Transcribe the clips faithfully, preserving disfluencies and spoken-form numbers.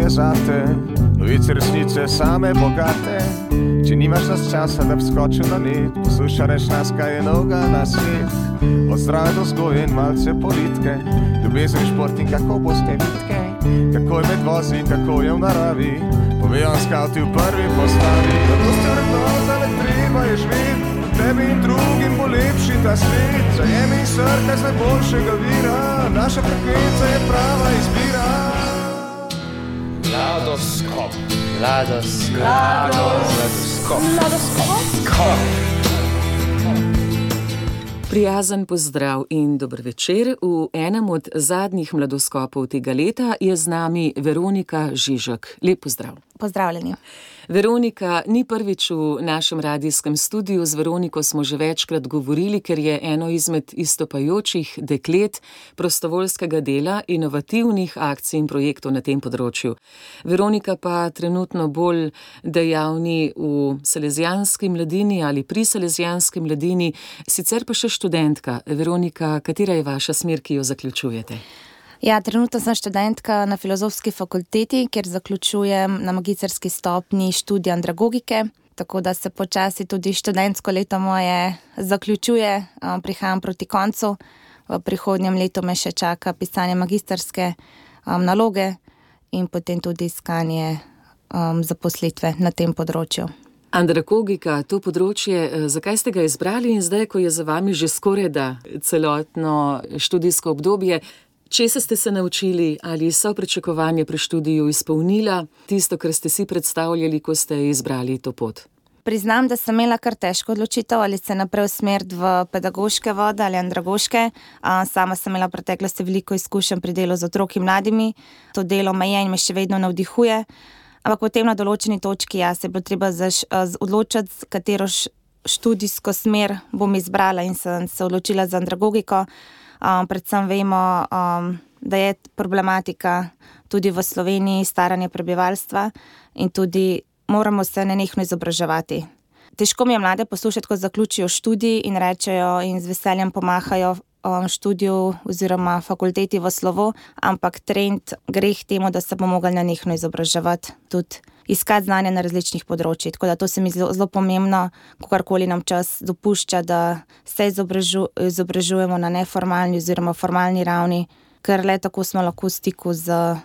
je zate, novice resnice same bogate. Če nimaš nas časa, da bi skočil na net, posluša reč nas, kaj je novega na svet. Od zdrave do vzgoje in malce politike, ljubezen, šport in kako boste vitke, kako je med vozi in kako je v naravi, povejo vam skavti v prvi postavi. Zato ste vrednota, le treba je živeti, tebi in drugim bo lepši ta svet. Zajemi in srkaj z najboljšega vira, naša frekvenca je prava izbira. Mladoskop. Mladoskop. Mladoskop. Mladoskop. Prijazen pozdrav in dober večer. V enem od zadnjih mladoskopov tega leta je z nami Veronika Žižek. Lep pozdrav. Pozdravljeni. Veronika ni prvič v našem radijskem studiu. Z Veroniko smo že večkrat govorili, ker je eno izmed izstopajočih deklet prostovoljskega dela, inovativnih akcij in projektov na tem področju. Veronika pa trenutno bolj dejavni v Salezijanski mladini ali pri Salezijanski mladini, sicer pa še študentka. Veronika, katera je vaša smer, ki jo zaključujete? Ja, trenutno sem študentka na Filozofski fakulteti, kjer zaključujem na magistrski stopnji študij andragogike, tako da se počasi tudi študentsko leto moje zaključuje, prihajam proti koncu. V prihodnjem letu me še čaka pisanje magistrske um, naloge in potem tudi iskanje um, zaposlitve na tem področju. Andragogika, to področje, zakaj ste ga izbrali in zdaj, ko je za vami že skoraj da celotno študijsko obdobje, česa ste se naučili, ali so pričakovanja pri študiju izpolnila tisto, kar ste si predstavljali, ko ste izbrali to pot? Priznam, da sem imela kar težko odločitev, ali se naprej usmeriti v pedagoške vode ali andragoške. Sama sem imela v preteklosti veliko izkušenj pri delu z otroki mladimi. To delo me je in me še vedno navdihuje. Ampak potem na določeni točki ja, se je bilo treba zaš, odločiti, katero študijsko smer bom izbrala in sem se odločila za andragogiko. Um, predvsem vemo, um, da je problematika tudi v Sloveniji staranje prebivalstva in tudi moramo se nenehno izobraževati. Težko mi je mlade poslušati, ko zaključijo študij in rečejo in z veseljem pomahajo um, študiju oziroma fakulteti v slovo, ampak trend gre k temu, da se bo mogli nenehno izobraževati, tudi iskati znanje na različnih področjih. Tako da to se mi zelo, zelo pomembno, kakorkoli nam čas dopušča, da se izobražu, izobražujemo na neformalni oziroma formalni ravni, ker le tako smo lahko v stiku z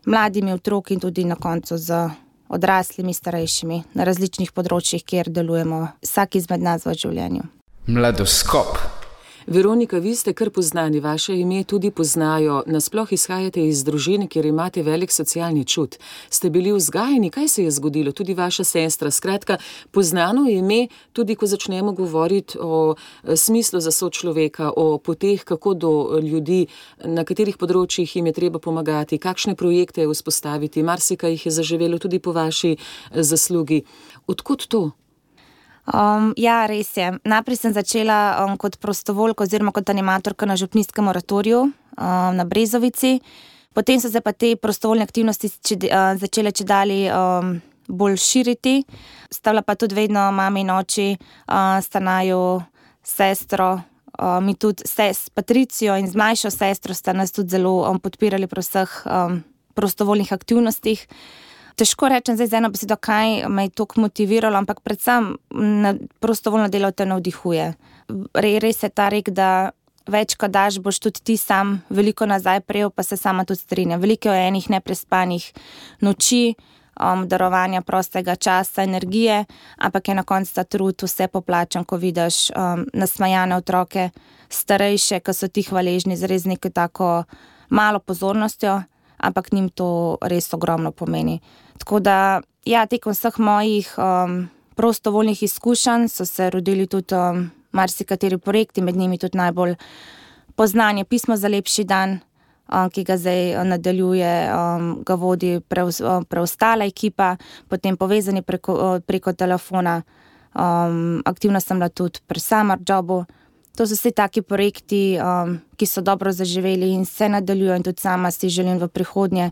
mladimi otroki in tudi na koncu z odraslimi, starejšimi na različnih področjih, kjer delujemo vsak izmed nas v življenju. Mladoskop. Veronika, vi ste kar poznani, vaše ime tudi poznajo, nasploh izhajate iz družine, kjer imate velik socialni čut. Ste bili vzgajeni, kaj se je zgodilo, tudi vaša sestra, skratka, poznano ime, tudi ko začnemo govoriti o smislu za sočloveka, o poteh, kako do ljudi, na katerih področjih jim je treba pomagati, kakšne projekte vzpostaviti, marsikaj jih je zaživelo tudi po vaši zaslugi. Odkud to? Um, ja, res je. Najprej sem začela um, kot prostovoljka oziroma kot animatorka na župnijskem oratoriju um, na Brezovici. Potem so se pa te prostovoljne aktivnosti če, uh, začele čedali um, bolj širiti. Stavila pa tudi vedno mami in oči, uh, sta naju sestro, um, in tudi s Patricijo in z mlajšo sestro sta nas tudi zelo um, podpirali pri vseh um, prostovoljnih aktivnostih. Težko rečem zdaj z eno besedo, kaj me je toliko motiviralo, ampak predvsem na prostovoljno delo te navdihuje. Res je ta rek, da več ko daš, boš tudi ti sam veliko nazaj prejel, pa se sama tudi strinjam. Veliko je enih neprespanih noči, um, darovanja prostega časa, energije, ampak je na koncu ta trud vse poplačan, ko vidiš um, nasmajane otroke, starejše, ki so ti hvaležni z res neko tako malo pozornostjo, ampak njim to res ogromno pomeni. Tako da, ja, tekom vseh mojih um, prostovoljnih izkušenj so se rodili tudi um, marsikateri projekti, med njimi tudi najbolj poznanje Pismo za lepši dan, um, ki ga zdaj nadaljuje, um, ga vodi preostala ekipa, potem povezani preko, preko telefona, um, aktivna sem bila tudi pri Summer Jobu. To so vsi taki projekti, um, ki so dobro zaživeli in se nadaljujo in tudi sama si želim v prihodnje,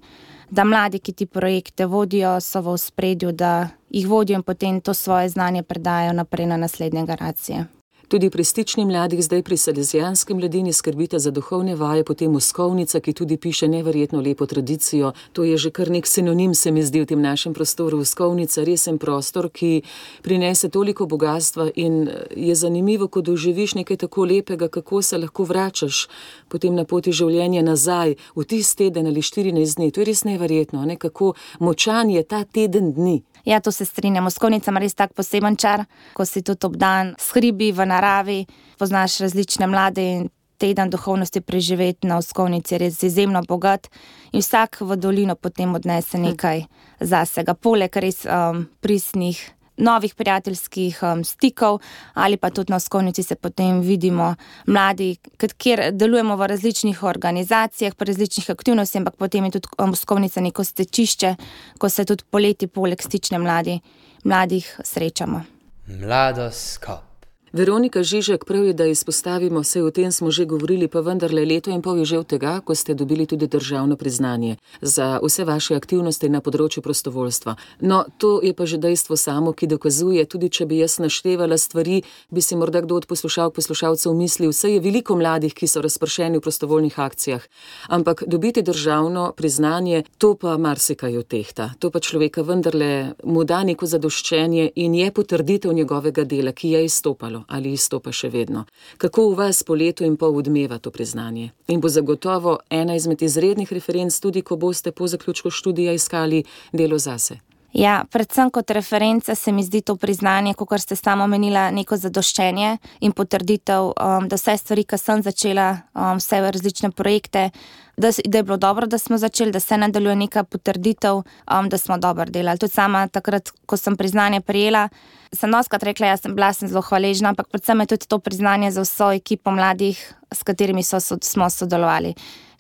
da mladi, ki ti projekte vodijo, so v ospredju, da jih vodijo in potem to svoje znanje predajo naprej na naslednje generacije. Tudi pri Stični mladih, zdaj pri Salezijanski mladini skrbite za duhovne vaje, potem Moskovnica, ki tudi piše neverjetno lepo tradicijo. To je že kar nek sinonim, se mi zdi, v tem našem prostoru. Moskovnica, resen prostor, ki prinese toliko bogatstva in je zanimivo, ko doživiš nekaj tako lepega, kako se lahko vračaš potem na poti življenja nazaj v tisti teden ali štirinajst dni. To je res neverjetno, ne? Kako močan je ta teden dni. Ja, to se strinjam. Moskovnica ima res tak poseben čar, ko si tudi obdan s hribi v naravi, poznaš različne mlade in teden duhovnosti preživeti na Moskovnici je res izjemno bogat in vsak v dolino potem odnese nekaj zasega. Poleg res um, pristnih novih prijateljskih um, stikov ali pa tudi na Moskovnici se potem vidimo mladi, kjer delujemo v različnih organizacijah, pri različnih aktivnostih, ampak potem je tudi Moskovnica neko stečišče, ko se tudi poleti poleg Stične mladi, mladih srečamo. Mladoskop. Veronika Žižek, prav je, da izpostavimo, vse o tem smo že govorili, pa vendarle leto in pol je že od tega, ko ste dobili tudi državno priznanje za vse vaše aktivnosti na področju prostovoljstva. No, to je pa že dejstvo samo, ki dokazuje, tudi če bi jaz naštevala stvari, bi si morda kdo od poslušalk, poslušalcev mislil, vse je veliko mladih, ki so razpršeni v prostovoljnih akcijah, ampak dobiti državno priznanje, to pa marsikaj otehta. To pa človeka vendarle mu da neko zadoščenje in je potrditev njegovega dela, ki je izstopalo ali izstopa še vedno. Kako v vas po letu in pol odmeva to priznanje? In bo zagotovo ena izmed izrednih referenc tudi, ko boste po zaključku študija iskali delo zase. Ja, predvsem kot referenca se mi zdi to priznanje, kakor ste sama omenila, neko zadoščenje in potrditev, um, da vse stvari, ki sem začela, um, vse različne projekte, da, da je bilo dobro, da smo začeli, da se nadaljuje neka potrditev, um, da smo dobro delali. Tudi sama takrat, ko sem priznanje prijela, sem doskrat rekla, jaz sem bila sem zelo hvaležna, ampak predvsem je tudi to priznanje za vso ekipo mladih, s katerimi so, so, smo sodelovali.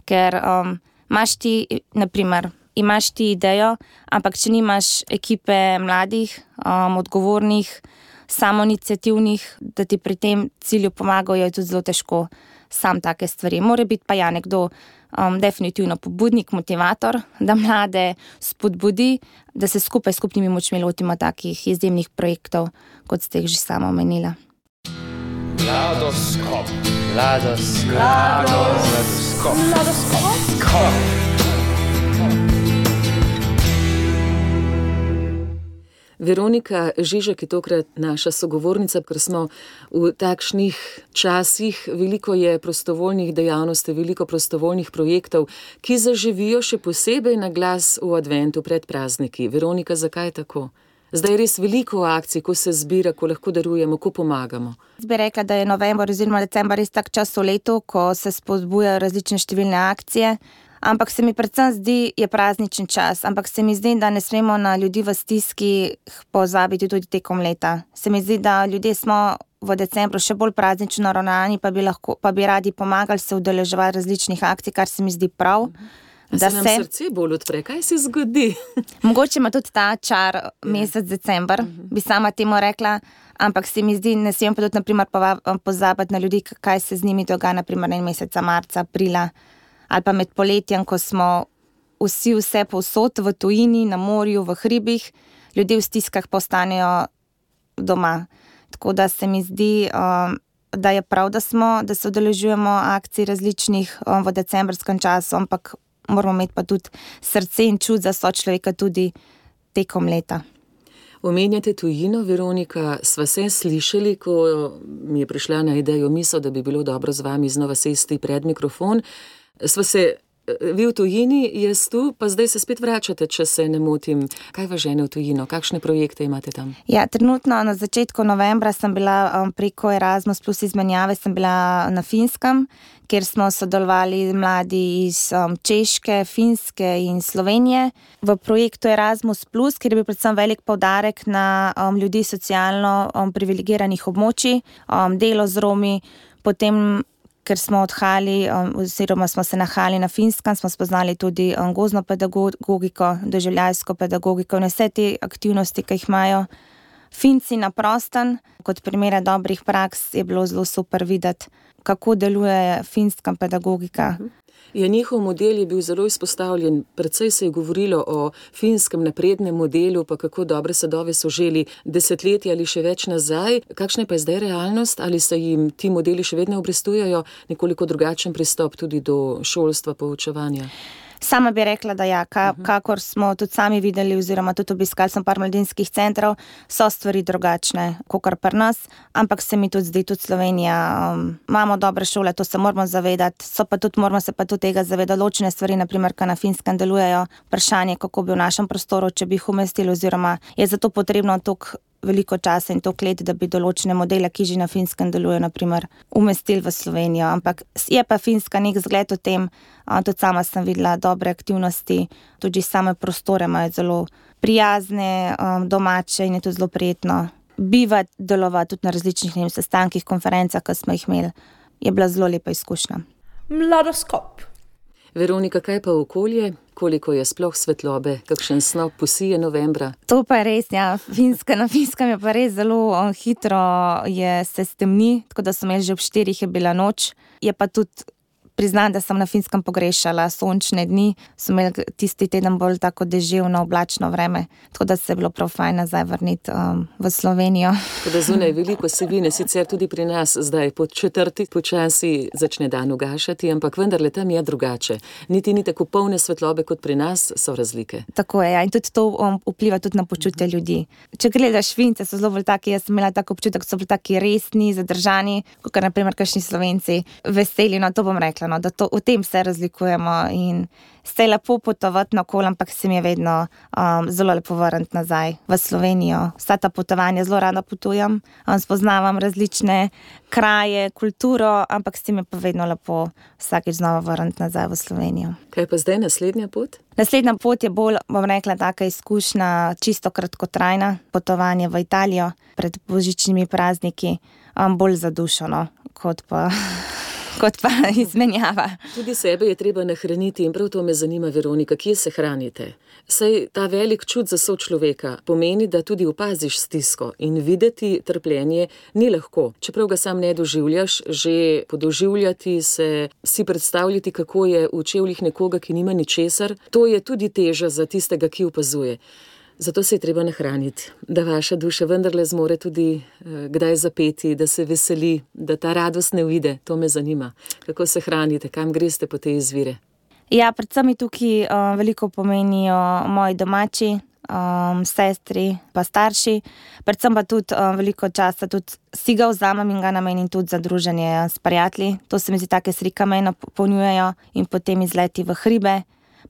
Ker um, imaš ti, naprimer, imaš ti idejo, ampak če nimaš ekipe mladih, um, odgovornih, samoiniciativnih, da ti pri tem cilju pomagajo, je tudi zelo težko sam take stvari. Mora biti pa ja nekdo um, definitivno pobudnik, motivator, da mlade spodbudi, da se skupaj s skupnimi močmi lotimo takih izjemnih projektov, kot ste jih že sama omenila. Mladoskop. Mladoskop. Mladoskop. Mladoskop. Veronika Žižek je tokrat naša sogovornica, ker smo v takšnih časih, veliko je prostovoljnih dejavnosti, veliko prostovoljnih projektov, ki zaživijo še posebej na glas v adventu pred prazniki. Veronika, zakaj je tako? Zdaj je res veliko akcij, ko se zbira, ko lahko darujemo, ko pomagamo. Jaz bi rekla, da je november oziroma december res tak čas v letu, ko se spodbujajo različne številne akcije. Ampak se mi predvsem zdi, je prazničen čas, ampak se mi zdi, da ne smemo na ljudi v stiski pozabiti tudi tekom leta. Se mi zdi, da ljudje smo v decembru še bolj praznično naravnani, pa bi lahko, pa bi radi pomagali se udeleževati različnih akcij, kar se mi zdi prav. Da se nam se... srce bolj odpre, kaj se zgodi? Mogoče ima tudi ta čar mesec december, bi sama temu rekla, ampak se mi zdi, ne smemo pa tudi naprimer pozabiti na ljudi, kaj se z njimi dogaja, naprimer en meseca marca, aprila, ali pa med poletjem, ko smo vsi vse povsod v tujini, na morju, v hribih, ljudje v stiskah postanejo doma. Tako da se mi zdi, um, da je prav, da smo, da se udeležujemo akcij različnih um, v decembrskem času, ampak moramo imeti pa tudi srce in čut za sočloveka tudi tekom leta. Omenjate tujino, Veronika, sva se slišali, ko mi je prišla na idejo misel, da bi bilo dobro z vami znova sesti pred mikrofon. Sva se, vi v tujini, jaz tu, pa zdaj se spet vračate, če se ne motim. Kaj vas žene v tujino? Kakšne projekte imate tam? Ja, trenutno na začetku novembra sem bila um, preko Erasmus plus izmenjave, sem bila na Finskem, kjer smo sodelovali mladi iz um, Češke, Finske in Slovenije v projektu Erasmus plus, kjer je bil predvsem velik poudarek na um, ljudi socialno um, privilegiranih območij, um, delo z Romi, potem ker smo odhajali, oziroma smo se nahajali na Finskem, smo spoznali tudi gozdno pedagogiko, doživljajsko pedagogiko in vse te aktivnosti, ki jih imajo Finci na prostem, kot primere dobrih praks je bilo zelo super videti, kako deluje finska pedagogika. Ja, njihov model je bil zelo izpostavljen, precej se je govorilo o finskem naprednem modelu, pa kako dobre sadove so želi desetletja ali še več nazaj. Kakšna je pa zdaj realnost? Ali se jim ti modeli še vedno obrestujejo, nekoliko drugačen pristop tudi do šolstva, poučevanja? Sama bi rekla, da ja, ka, kakor smo tudi sami videli oziroma tudi obiskali smo par mladinskih centrov, so stvari drugačne, kakor pri nas, ampak se mi tudi zdi, tudi Slovenija, um, imamo dobre šole, to se moramo zavedati, so pa tudi, moramo se pa tudi tega zavedati, določene stvari, naprimer, ka na Finskem delujejo, vprašanje, kako bi v našem prostoru, če bi jih umestili, oziroma je zato potrebno toliko veliko časa in toliko let, da bi določene modele, ki že na Finskem delujejo, naprimer, umestili v Slovenijo. Ampak je pa Finska nek zgled o tem, tudi sama sem videla dobre aktivnosti, tudi same prostore imajo zelo prijazne, domače in je to zelo prijetno bivati, delovati tudi na različnih nevim, sestankih, konferencah, ki smo jih imeli. Je bila zelo lepa izkušnja. Mladoskop. Veronika, kaj pa okolje? Koliko je sploh svetlobe? Kakšen snop posije novembra? To pa je res, ja. Finska, na Finskem je pa res zelo on, hitro je se stemni, tako da so imeli že ob štirih je bila noč. Je pa tudi priznam, da sem na Finskem pogrešala sončne dni, so imeli tisti teden bolj tako deževno, oblačno vreme, tako da se je bilo prav fajn nazaj vrniti um, v Slovenijo. Tako da zunaj veliko sivine, sicer tudi pri nas zdaj pod četrti počasi začne dan ugašati, ampak vendarle tam je drugače. Niti ni tako polne svetlobe kot pri nas, so razlike. Tako je, ja, in tudi to um, vpliva tudi na počutje ljudi. Če gledaš Fince, so zelo bolj taki, jaz sem imela tako občutek, so bili taki resni, zadržani, kot naprimer kakšni Slovenci, veseli, no to bom rekla, no, da to, v tem se razlikujemo in se je lepo potovati naokoli, ampak se mi je vedno um, zelo lepo vrniti nazaj v Slovenijo. Vsa ta potovanja zelo rada potujem, um, spoznavam različne kraje, kulturo, ampak se mi je pa vedno lepo vsakič znova vrniti nazaj v Slovenijo. Kaj pa zdaj naslednja pot? Naslednja pot je bolj, bom rekla, taka izkušnja, čisto kratkotrajna, potovanje v Italijo pred božičnimi prazniki, um, bolj za dušo, no, kot pa... kot pa izmenjava. Tudi sebe je treba nahraniti in prav to me zanima, Veronika, kje se hranite? Saj ta velik čut za sočloveka pomeni, da tudi opaziš stisko in videti trpljenje ni lahko. Čeprav ga sam ne doživljaš, že podoživljati se, si predstavljati, kako je v čevljih nekoga, ki nima ničesar, to je tudi teža za tistega, ki opazuje. Zato se je treba nahraniti, da vaša duša vendarle zmore tudi eh, kdaj zapeti, da se veseli, da ta radost ne uide. To me zanima. Kako se hranite, kam greste po te izvire? Ja, predvsem mi tukaj um, veliko pomenijo moji domači, um, sestri pa starši. Predvsem pa tudi um, veliko časa tudi si ga vzamem in ga namenim tudi za druženje s prijatelji. To se mi zdi, take slika me napolnjujejo in potem izleti v hribe.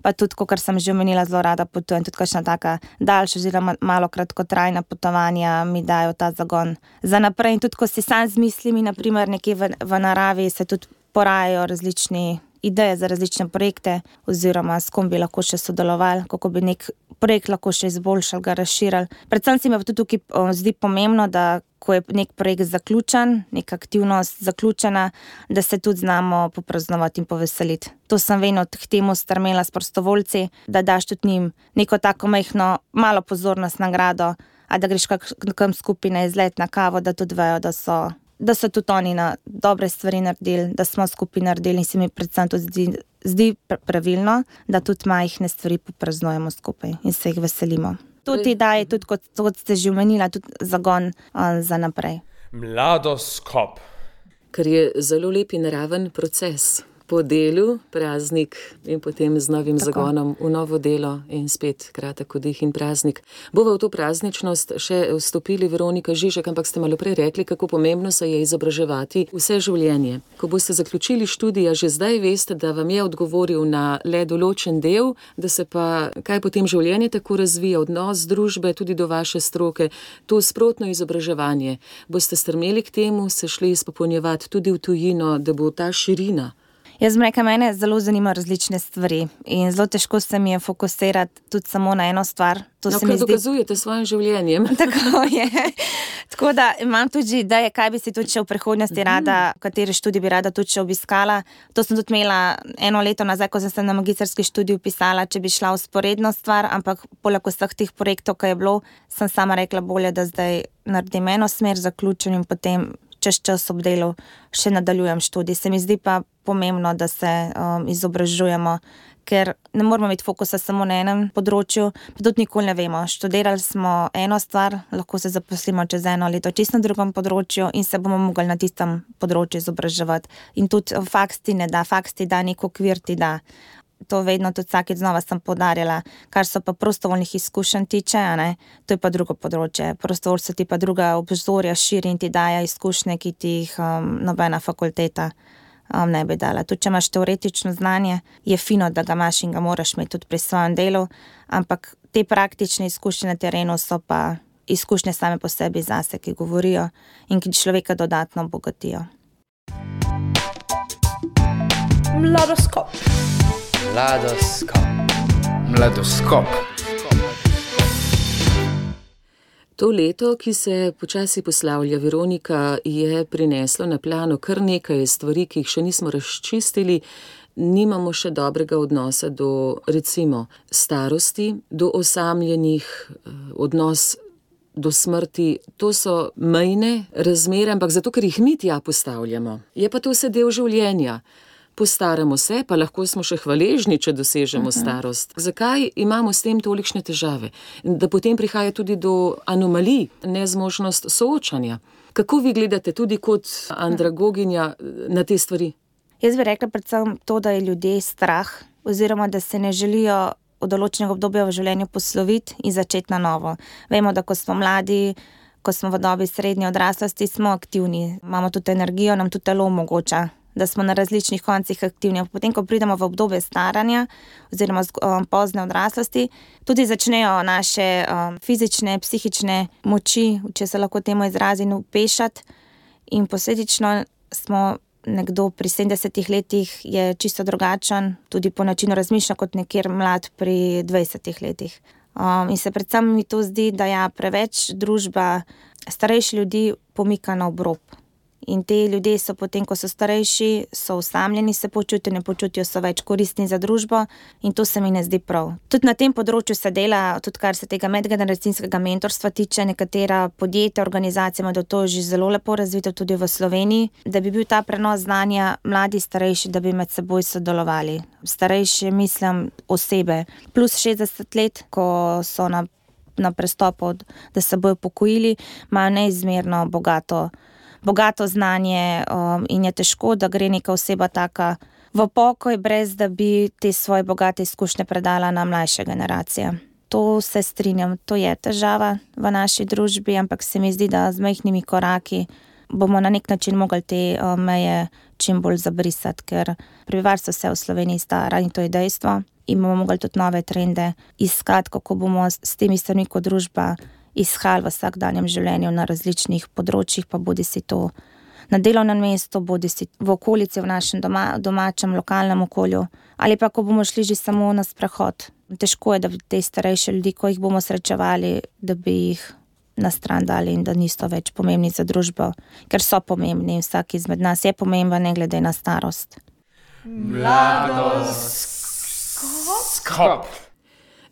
Pa tudi, kot sem že omenila, zelo rada potujem, tudi kakšna taka daljša, oziroma malo kratkotrajna potovanja mi dajo ta zagon za naprej. In tudi, ko si sam z mislimi, naprimer nekje v, v naravi, se tudi porajajo različni ideje za različne projekte, oziroma s kom bi lahko še sodelovali, kako bi nek projekt lahko še izboljšali, ga razširili. Predvsem se mi pa tudi tukaj o, zdi pomembno, da ko je nek projekt zaključen, neka aktivnost zaključena, da se tudi znamo popraznovati in poveseliti. To sem vedno k temu strmela s prostovoljci, da daš tudi njim neko tako majhno, malo pozornost, nagrado, a da greš kakam skupaj na izlet, na kavo, da tudi vejo, da so, da so tudi oni na dobre stvari naredili, da smo skupaj naredili in se mi predvsem tudi zdi, zdi pravilno, da tudi majhne stvari popraznujemo skupaj in se jih veselimo. Tudi daje, tudi kot, kot ste že omenila, tudi zagon um, za naprej. Mladoskop. Ker je zelo lep in naraven proces. Po delu, praznik in potem z novim Tako. zagonom v novo delo in spet kratek oddih in praznik. Bova v to prazničnost še vstopili, Veronika Žižek, ampak ste malo prej rekli, kako pomembno se je izobraževati vse življenje. Ko boste zaključili študija, že zdaj veste, da vam je odgovoril na le določen del, da se pa kaj potem življenje tako razvija, odnos družbe tudi do vaše stroke, to sprotno izobraževanje. Boste strmeli k temu, se šli izpopolnjevati tudi v tujino, da bo ta širina? Jaz bom rekla, mene zelo zanimajo različne stvari in zelo težko se mi je fokusirati tudi samo na eno stvar. To no, se mi kaj zdi... dokazujete s svojim življenjem. Tako je. Tako da imam tudi ideje, kaj bi si tudi še v prihodnosti rada, kateri študij bi rada tudi še obiskala. To sem tudi imela eno leto nazaj, ko sem se na magistrski študij upisala, če bi šla vzporedno stvar, ampak poleg vseh teh projektov, ki je bilo, sem sama rekla bolje, da zdaj naredim eno smer, zaključim in potem čez čas ob delu še nadaljujem študij. Se mi zdi pa pomembno, da se um, izobražujemo, ker ne moramo imeti fokusa samo na enem področju, pa tudi nikoli ne vemo. Študirali smo eno stvar, lahko se zaposlimo čez eno leto čisto na drugem področju in se bomo mogli na tistem področju izobraževati. In tudi faks ti ne da, faks ti da, nek okvir ti da. To vedno tudi vsakeč znova sem poudarjala, kar so pa prostovoljnih izkušenj tiče, ne, to je pa drugo področje. Prostovoljstvo ti pa druga obzorja širi in ti daja izkušnje, ki ti jih um, nobena fakulteta um, ne bi dala. Tudi če imaš teoretično znanje, je fino, da ga imaš in ga moraš imeti tudi pri svojem delu, ampak te praktične izkušnje na terenu so pa izkušnje same po sebi zase, ki govorijo in ki človeka dodatno obogatijo. Mladoskop. Mladoskop. Mladoskop. To leto, ki se počasi poslavlja, Veronika, je prineslo na plano kar nekaj stvari, ki jih še nismo razčistili. Nimamo še dobrega odnosa do, recimo, starosti, do osamljenih, odnos do smrti. To so mejne razmere, ampak zato, ker jih mi tja postavljamo. Je pa to vse del življenja. Postaramo se, pa lahko smo še hvaležni, če dosežemo starost. Zakaj imamo s tem tolikšne težave? Da potem prihaja tudi do anomalij, nezmožnost soočanja. Kako vi gledate tudi kot andragoginja na te stvari? Jaz bi rekla predvsem to, da je ljudje strah, oziroma da se ne želijo od določenega obdobja v življenju posloviti in začeti na novo. Vemo, da ko smo mladi, ko smo v dobi srednje odraslosti, smo aktivni, imamo tudi energijo, nam tudi telo omogoča, da smo na različnih koncih aktivni. Potem, ko pridemo v obdobje staranja oziroma um, pozne odraslosti, tudi začnejo naše um, fizične, psihične moči, če se lahko temu izrazim, upešati in posledično smo nekdo pri sedemdesetih letih je čisto drugačen, tudi po načinu razmišlja kot nekjer mlad pri dvajsetih letih. Um, in se predvsem mi to zdi, da ja, preveč družba starejši ljudi pomika na obrob. In te ljudje so potem, ko so starejši, so osamljeni, se počutijo, ne počutijo, so več koristni za družbo in to se mi ne zdi prav. Tudi na tem področju se dela, tudi kar se tega medgeneracijskega mentorstva tiče, nekatera podjetja, organizacije imajo to že zelo lepo razvito tudi v Sloveniji, da bi bil ta prenos znanja mladi, starejši, da bi med seboj sodelovali. Starejši, mislim, osebe plus šestdeset let, ko so na, na prestopu, da se bojo pokojili, imajo neizmerno bogato bogato znanje um, in je težko, da gre neka oseba taka v pokoj, brez da bi te svoje bogate izkušnje predala na mlajše generacije. To se strinjam, to je težava v naši družbi, ampak se mi zdi, da z majhnimi koraki bomo na nek način mogli te um, meje čim bolj zabrisati, ker prebivalstvo se v Sloveniji stara in to je dejstvo in bomo mogli tudi nove trende iskati, kako bomo s temi stvarmi kot družba izhajali v vsakdanjem življenju na različnih področjih, pa bodi si to na delovnem mestu, bodi si v okolici, v našem doma, domačem, lokalnem okolju, ali pa ko bomo šli že samo na sprehod. Težko je, da bi te starejše ljudi, ko jih bomo srečevali, da bi jih na stran dali in da niso več pomembni za družbo, ker so pomembni in vsak izmed nas je pomemben, ne glede na starost. Mladoskop.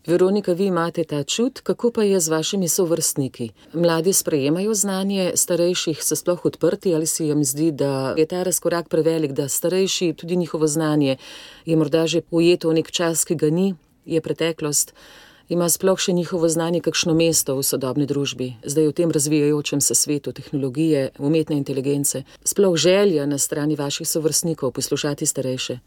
Veronika, vi imate ta čut, kako pa je z vašimi sovrstniki? Mladi sprejemajo znanje, starejših so sploh odprti ali si jim zdi, da je ta razkorak prevelik, da starejši, tudi njihovo znanje je morda že ujeto v nek čas, ki ga ni, je preteklost, ima sploh še njihovo znanje kakšno mesto v sodobni družbi, zdaj v tem razvijajočem se svetu tehnologije, umetne inteligence, sploh želja na strani vaših sovrstnikov poslušati starejše?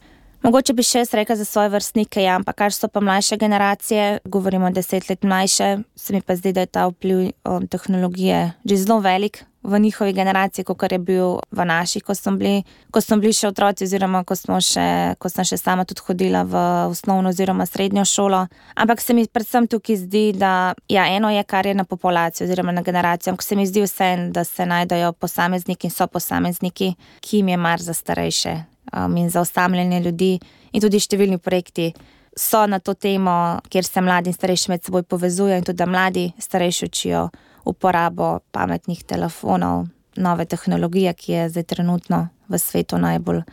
Mogoče bi še jaz rekla za svoje vrstnike, ja, ampak kar so pa mlajše generacije, govorimo deset let mlajše, se mi pa zdi, da je ta vpliv um, tehnologije že zelo velik v njihovi generaciji, kot je bil v naši, ko smo bili, ko smo bili še otroci oziroma ko smo še, ko sem še sama tudi hodila v osnovno oziroma srednjo šolo. Ampak se mi predvsem tukaj zdi, da ja, eno je, kar je na populacijo oziroma na generacijo, ampak se mi zdi vse, da se najdejo posamezniki in so posamezniki, ki jim je mar za starejše. um, in za osamljanje ljudi. In tudi številni projekti so na to temo, kjer se mladi in starejši med seboj povezujejo in tudi da mladi starejši učijo uporabo pametnih telefonov, nove tehnologije, ki je zdaj trenutno v svetu najbolj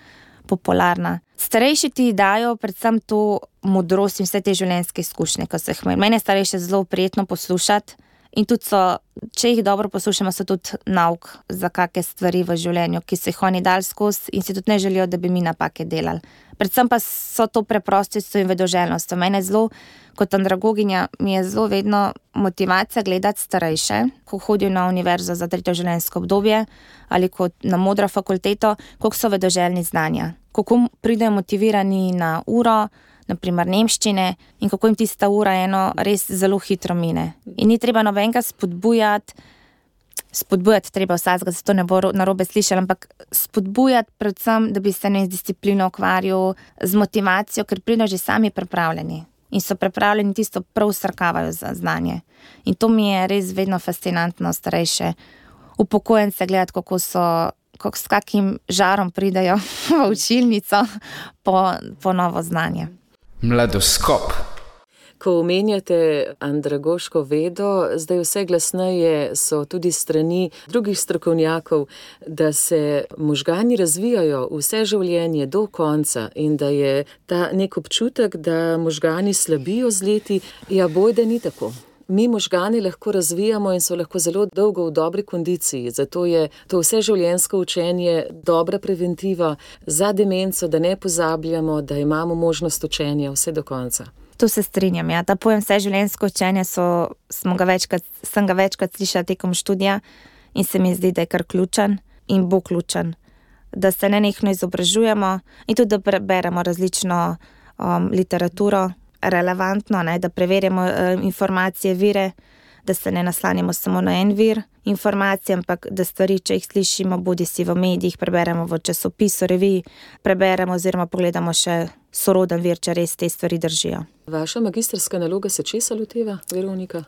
popularna. Starejši ti dajo predvsem to modrost in vse te življenjske izkušnje, ko se jih imeli. Mene je starejše zelo prijetno poslušati in tudi so, če jih dobro poslušamo, so tudi nauk za kakšne stvari v življenju, ki so jih oni dali skozi in si tudi ne želijo, da bi mi napake delali. Predvsem pa so to preprostost in vedoželjnost. Mene zelo, kot andragoginja, mi je zelo vedno motivacija gledati starejše, ko hodijo na univerzo za tretje življenjsko obdobje ali kot na modro fakulteto, koliko so vedoželjni znanja, kako pridejo motivirani na uro, naprimer nemščine, in kako jim tista ura eno res zelo hitro mine. In ni treba nobenega spodbujati, spodbujati treba vsakega, zato ne bo narobe slišali, ampak spodbujati predvsem, da bi se ne z disciplino ukvarjal, z motivacijo, ker pridejo že sami pripravljeni in so pripravljeni tisto prav srkavajo za znanje. In to mi je res vedno fascinantno starejše upokojence gledati, kako so, kako s kakim žarom pridejo v učilnico po, po novo znanje. Mladoskop. Ko omenjate andragoško vedo, zdaj vse glasneje so tudi strani drugih strokovnjakov, da se možgani razvijajo vse življenje do konca in da je ta nek občutek, da možgani slabijo z leti, ja bojda ni tako. Mi možgani lahko razvijamo in so lahko zelo dolgo v dobri kondiciji, zato je to vse življenjsko učenje dobra preventiva za demenco, da ne pozabljamo, da imamo možnost učenja vse do konca. To se strinjam, ja. Ta pojem vse življenjsko učenje so, smo ga večkrat, sem ga večkrat slišala tekom študija in se mi zdi, da je kar ključen in bo ključen. Da se nenehno izobražujemo in tudi, da preberemo različno um, literaturo, relevantno, ne, da preverjamo uh, informacije, vire, da se ne naslanjamo samo na en vir informacij, ampak da stvari, če jih slišimo, bodi si v medijih, preberemo v časopisu, reviji, preberemo oziroma pogledamo še soroden vir, če res te stvari držijo. Vaša magistrska naloga se česa loteva, Veronika?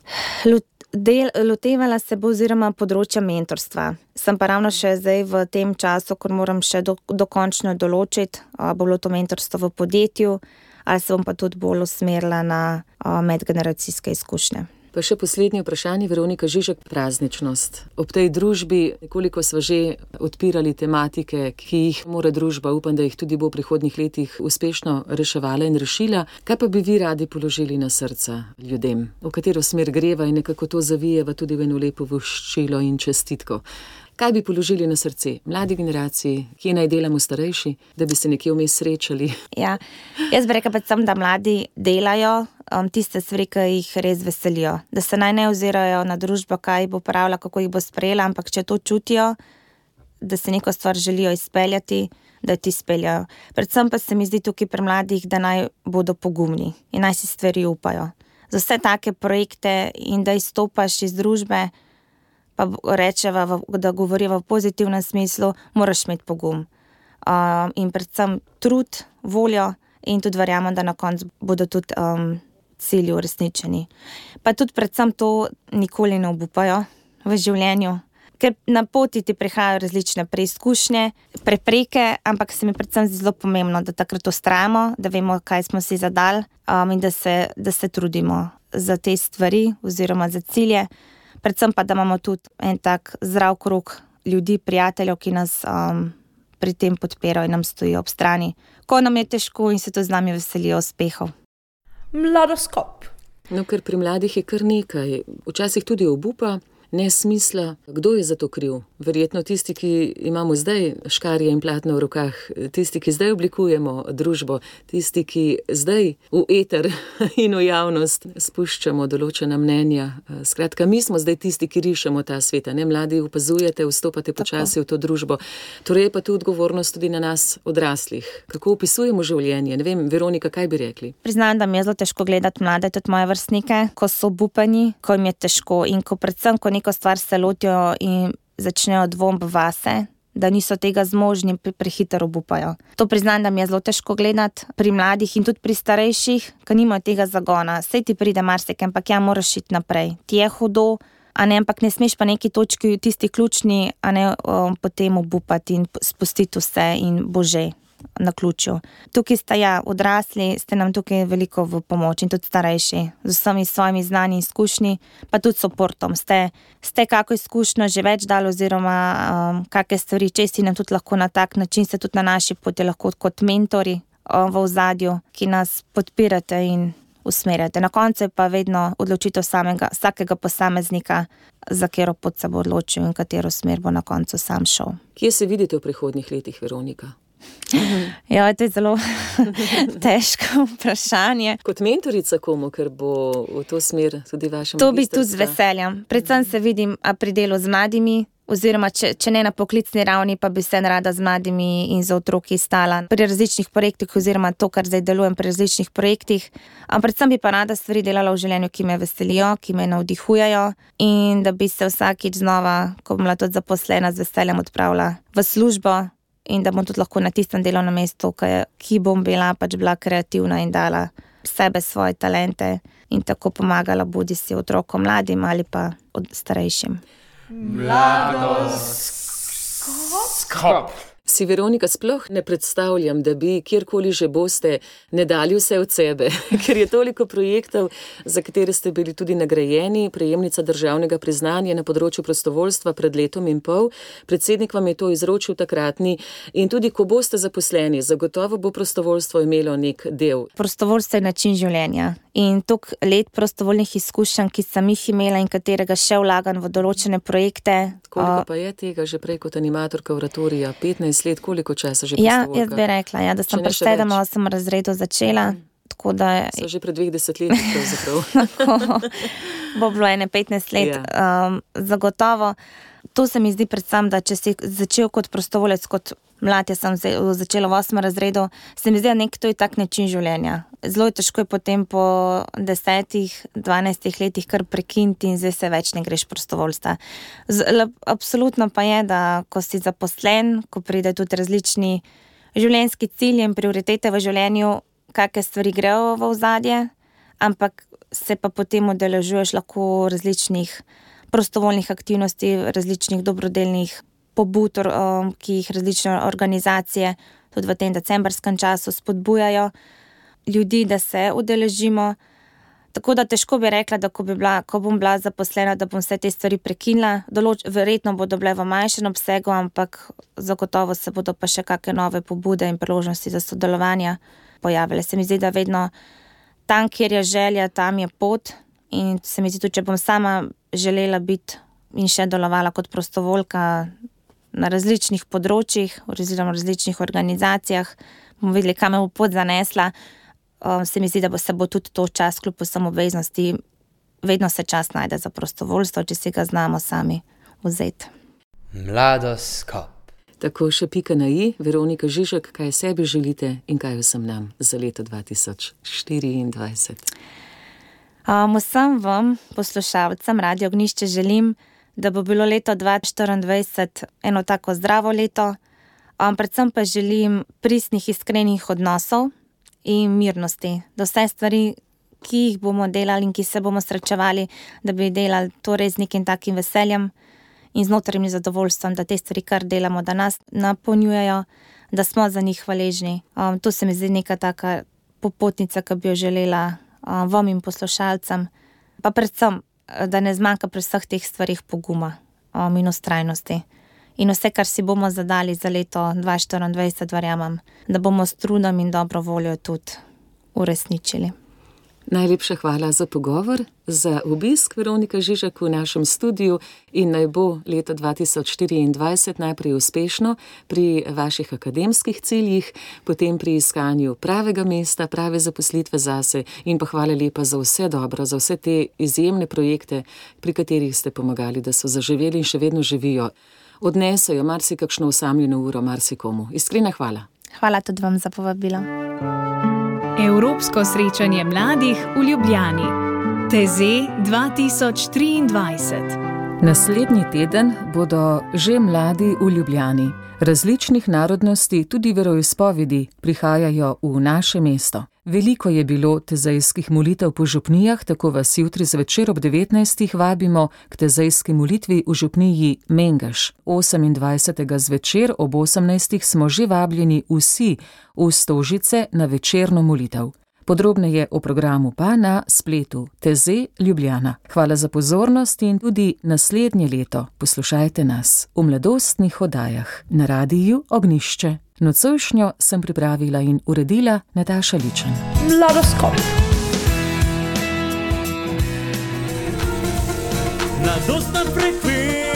Del, lotevala se bo oziroma področja mentorstva. Sem pa ravno še zdaj v tem času, ko moram še do, dokončno določiti, uh, bo bilo to mentorstvo v podjetju, ali se bom pa tudi bolj usmerila na uh, medgeneracijske izkušnje. Pa še poslednje vprašanje, Veronika Žižek, prazničnost. Ob tej družbi, nekoliko sva že odpirali tematike, ki jih mora družba, upam, da jih tudi bo v prihodnjih letih uspešno reševala in rešila. Kaj pa bi vi radi položili na srca ljudem? V katero smer greva in nekako to zavijeva tudi v eno lepo voščilo in čestitko? Kaj bi položili na srce mladi generaciji, ki naj delamo starejši, da bi se nekje vmes srečali? Ja, jaz bi rekla predvsem, da mladi delajo um, tiste stvari, ki jih res veselijo. Da se naj ne ozirajo na družbo, kaj bo pravila, kako jih bo sprejela, ampak če to čutijo, da se neko stvar želijo izpeljati, da ti speljajo. Predvsem pa se mi zdi tukaj pri mladih, da naj bodo pogumni in naj si stvari upajo. Za vse take projekte in da izstopaš iz družbe, pa rečeva, da govoriva v pozitivnem smislu, moraš imeti pogum. Um, in predvsem trud, voljo in tudi verjamem, da na koncu bodo tudi um, cilji uresničeni. Pa tudi predvsem to nikoli ne obupajo v življenju, ker na poti ti prihajajo različne preizkušnje, prepreke, ampak se mi predvsem zdi zelo pomembno, da takrat ustrajamo, da vemo, kaj smo si zadali um, in da se, da se trudimo za te stvari oziroma za cilje. Predvsem pa, da imamo tudi en tak zdrav krog ljudi, prijateljev, ki nas um, pri tem podpirajo in nam stojijo ob strani. Ko nam je težko in se to z nami veselijo uspehov. Mladoskop. No, ker pri mladih je kar nekaj. Včasih tudi obupa, nesmisla. Kdo je za to kriv? Verjetno tisti, ki imamo zdaj škarje in platno v rokah, tisti, ki zdaj oblikujemo družbo, tisti, ki zdaj v eter in v javnost spuščamo določena mnenja. Skratka, mi smo zdaj tisti, ki rišemo ta sveta. Ne, mladi opazujete, vstopate počasi v to družbo. Torej je pa tu odgovornost tudi na nas odraslih. Kako opisujemo življenje? Ne vem, Veronika, kaj bi rekli? Priznam, da mi je zelo težko gledati mlade, tudi moje vrstnike, ko so obupani, ko jim je težko in ko predvsem, ko neko stvar se lotijo in začnejo dvom vase, da niso tega zmožni, prehitro obupajo. To priznam, da mi je zelo težko gledati pri mladih in tudi pri starejših, ki nimajo tega zagona. Sej ti pride marsikaj, ampak ja, moraš iti naprej. Ti je hudo, a ne, ampak ne smeš pa neki točki, tisti ključni, a ne um, potem obupati in spustiti vse in bože. na ključu. Tukaj ste ja, odrasli, ste nam tukaj veliko v pomoč in tudi starejši, z vsemi svojimi znanji in izkušnji, pa tudi suportom. Ste, ste kako izkušnjo že več dali oziroma um, kakšne stvari, če si nam tudi lahko na tak način, ste tudi na naši poti lahko kot mentori um, v ozadju, ki nas podpirate in usmerjate. Na koncu pa vedno odločitev samega, vsakega posameznika, za katero pot se bo odločil in katero smer bo na koncu sam šel. Kje se vidite v prihodnjih letih, Veronika? Ja, to je zelo težko vprašanje. Kot mentorica komu, ker bo v to smer tudi vaša magisterska? To bi tudi z veseljem. Predvsem se vidim pri delu z mladimi, oziroma če, če ne na poklicni ravni, pa bi se rada z mladimi in za otroki stala pri različnih projektih oziroma to, kar zdaj delujem pri različnih projektih. Ampak predvsem bi pa rada stvari delala v življenju, ki me veselijo, ki me navdihujejo in da bi se vsakič znova, ko bom bila tudi zaposlena, z veseljem odpravila v službo in da bom tudi lahko na tistem delovnem mestu, ki bom bila pač bila kreativna in dala sebe, svoje talente in tako pomagala bodi si otrokom mladim ali pa od starejšim. Mladoskop. Si, Veronika, sploh ne predstavljam, da bi kjerkoli že boste ne dali vse od sebe, ker je toliko projektov, za katere ste bili tudi nagrajeni, prejemnica državnega priznanja na področju prostovoljstva pred letom in pol. Predsednik vam je to izročil takratni in tudi ko boste zaposleni, zagotovo bo prostovoljstvo imelo nek del. Prostovoljstvo je način življenja in toliko let prostovoljnih izkušenj, ki sem jih imela in katerega še vlagam v določene projekte. Koliko pa je tega že prej kot animatorka oratorija? petnajst let, koliko časa že prostovoljka? Ja, jaz bi rekla, ja, da sem pri sedem osem razredu začela. Tako da... So že pred dveh desetletji pravzaprav. Tako, bo bilo ene petnajst let, yeah. um, zagotovo. To se mi zdi predvsem, da če si začel kot prostovolec, kot mlad, jaz sem začela v osmem razredu, se mi zdi, da nek to je tak način življenja. Zelo je težko je potem po desetih, dvanajstih letih kar prekiniti in zdaj se več ne greš prostovoljstva. Z, absolutno pa je, da ko si zaposlen, ko pride tudi različni življenjski cilji in prioritete v življenju, kakšne stvari grejo v ozadje, ampak se pa potem udeležuješ lahko različnih prostovoljnih aktivnosti, različnih dobrodelnih pobud, ki jih različne organizacije tudi v tem decembrskem času spodbujajo ljudi, da se udeležimo. Tako da težko bi rekla, da ko, bi bila, ko bom bila zaposlena, da bom vse te stvari prekinila. Določ, verjetno bodo bile v manjšem obsegu, ampak zagotovo se bodo pa še kakšne nove pobude in priložnosti za sodelovanje pojavile. Se mi zdi, da vedno tam, kjer je želja, tam je pot in se mi zdi tudi, če bom sama želela biti in še delovala kot prostovoljka na različnih področjih, oziroma različnih organizacijah, bomo videli, kam me bo pot zanesla. Um, se mi zdi, da bo se bo tudi to čas, kljub vsem obveznosti, vedno se čas najde za prostovoljstvo, če si ga znamo sami vzeti. Mladoskop. Tako še pika na i, Veronika Žižek, kaj sebi želite in kaj vsem nam za leto dva tisoč štiriindvajset? Um, vsem vam, poslušalcem Radio Ognjišče, želim, da bo bilo leto dva tisoč štiriindvajset eno tako zdravo leto, um, predvsem pa želim pristnih, iskrenih odnosov in mirnosti, da vse stvari, ki jih bomo delali in ki se bomo srečevali, da bi delali to res z nekim takim veseljem in z notranjim zadovoljstvom, da te stvari, kar delamo, da nas napolnjujejo, da smo za njih hvaležni. Um, to se mi zdi neka taka popotnica, ki bi jo želela um, vam in poslušalcem, pa predvsem, da ne zmanjka pri vseh teh stvarih poguma um, in ustrajnosti. In vse, kar si bomo zadali za leto dva tisoč štiriindvajset, verjamem, da bomo s trudom in dobro voljo tudi uresničili. Najlepša hvala za pogovor, za obisk, Veronika Žižek, v našem studiu in naj bo leto dva tisoč štiriindvajset najprej uspešno pri vaših akademskih ciljih, potem pri iskanju pravega mesta, prave zaposlitve zase in pa hvala lepa za vse dobro, za vse te izjemne projekte, pri katerih ste pomagali, da so zaživeli in še vedno živijo. Odnesejo marsikakšno osamljeno uro marsikomu. Iskrena hvala. Hvala tudi vam za povabilo. Evropsko srečanje mladih v Ljubljani. Teze dva tisoč triindvajset. Naslednji teden bodo že mladi v Ljubljani. Različnih narodnosti, tudi veroizpovedi, prihajajo v naše mesto. Veliko je bilo tezejskih molitev po župnijah, tako vas jutri zvečer ob devetnajstih vabimo k tezejski molitvi v župniji Mengeš. osemindvajsetega zvečer ob osemnajstih smo že vabljeni vsi v Stožice na večerno molitev. Podrobneje o programu pa na spletu Teze Ljubljana. Hvala za pozornost in tudi naslednje leto poslušajte nas v mladostnih oddajah na radiju Ognjišče. Nocojšnjo sem pripravila in uredila Nataša Ličen. Mladoskop. Mladostna frekvenca.